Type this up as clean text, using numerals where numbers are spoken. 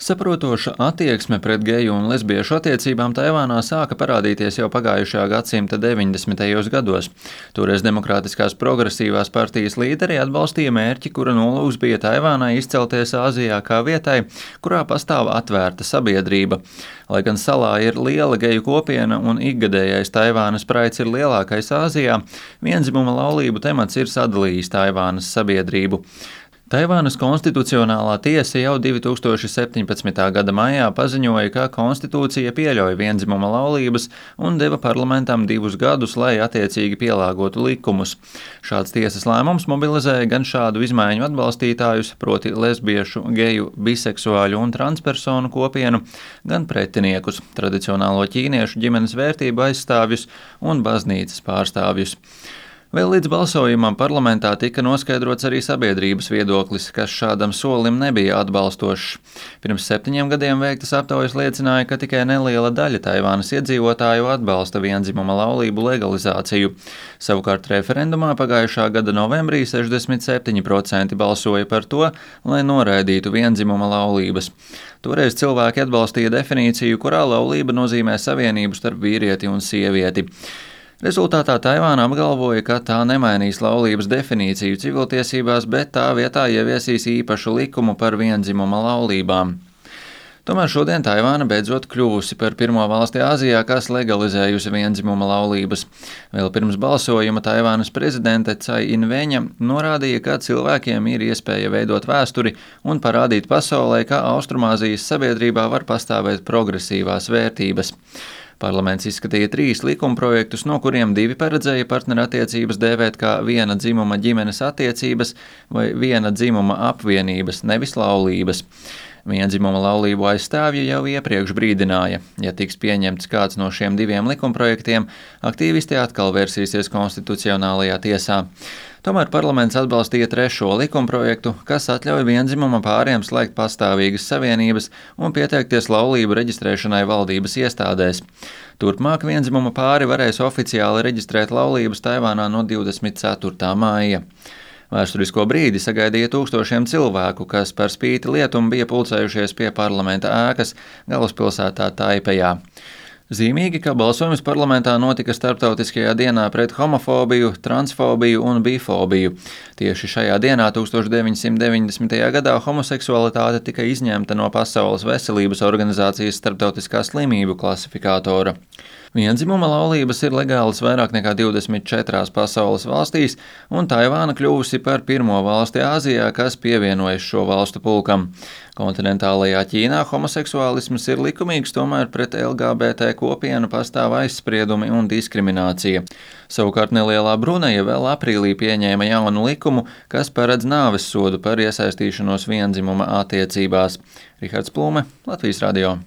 Saprotoša attieksme pret geju un lesbiešu attiecībām Taivānā sāka parādīties jau pagājušā gadsimta 90. gados. Toreiz Demokrātiskās progresīvās partijas līderi atbalstīja mērķi, kura nolūks bija Taivānai izcelties Āzijā kā vietai, kurā pastāv atvērta sabiedrība. Lai gan salā ir liela geju kopiena un ikgadējais Taivānas praids ir lielākais Āzijā, vienzimuma laulību temats ir sadalījis Taivānas sabiedrību. Taivānas konstitucionālā tiesa jau 2017. gada maijā paziņoja, ka konstitūcija pieļauj vienzimuma laulības un deva parlamentam 2 gadus, lai attiecīgi pielāgotu likumus. Šāds tiesas lēmums mobilizēja gan šādu izmaiņu atbalstītājus, proti lesbiešu, geju, biseksuāļu un transpersonu kopienu, gan pretiniekus, tradicionālo ķīniešu ģimenes vērtību aizstāvjus un baznīcas pārstāvjus. Vēl līdz balsojumam parlamentā tika noskaidrots arī sabiedrības viedoklis, kas šādam solim nebija atbalstošs. Pirms 7 gadiem veiktas aptaujas liecināja, ka tikai neliela daļa Taivānas iedzīvotāju atbalsta vienzimuma laulību legalizāciju. Savukārt referendumā pagājušā gada novembrī 67% balsoja par to, lai noraidītu vienzimuma laulības. Toreiz cilvēki atbalstīja definīciju, kurā laulība nozīmē savienību starp vīrieti un sievieti. Rezultātā Taivāna apgalvoja, ka tā nemainīs laulības definīciju civiltiesībās, bet tā vietā ieviesīs īpašu likumu par vienzimuma laulībām. Tomēr šodien Taivāna beidzot kļuvusi par pirmo valsti Āzijā, kas legalizējusi vienzimuma laulības. Vēl pirms balsojuma Taivānas prezidente Cai Inveņa norādīja, ka cilvēkiem ir iespēja veidot vēsturi un parādīt pasaulē, ka Austrumāzijas sabiedrībā var pastāvēt progresīvās vērtības. Parlaments izskatīja 3 likumprojektus, no kuriem 2 paredzēja partnerattiecības dēvēt kā viena dzimuma ģimenes attiecības vai viena dzimuma apvienības, nevis laulības. Vienzimuma laulību aizstāvji jau iepriekš brīdināja, ja tiks pieņemts kāds no šiem 2 likumprojektiem, aktīvisti atkal versīsies konstitucionālajā tiesā. Tomēr parlaments atbalstīja 3. likumprojektu, kas atļauj vienzimuma pāriem slēgt pastāvīgas savienības un pieteikties laulību reģistrēšanai valdības iestādēs. Turpmāk vienzimuma pāri varēs oficiāli reģistrēt laulības Taivānā no 24. māja. Vēsturisko brīdi sagaidīja tūkstošiem cilvēku, kas par spīti lietum bija pulcējušies pie parlamenta ēkas galvaspilsētā Taipejā. Zīmīgi, ka balsojums parlamentā notika starptautiskajā dienā pret homofobiju, transfobiju un bifobiju. Tieši šajā dienā 1990. gadā homoseksualitāte tika izņemta no Pasaules veselības organizācijas starptautiskā slimību klasifikātora. Vienzimuma laulības ir legālas vairāk nekā 24 pasaules valstīs, un Taivāna kļuvusi par pirmo valsti Āzijā, kas pievienojas šo valstu pulkam. Kontinentālajā Ķīnā homoseksuālisms ir likumīgs, tomēr pret LGBT kopienu pastāv aizspriedumi un diskriminācija. Savukārt nelielā Bruneja vēl aprīlī pieņēma jaunu likumu, kas paredz nāves sodu par iesaistīšanos vienzimuma attiecībās. Rihards Plūme, Latvijas radio.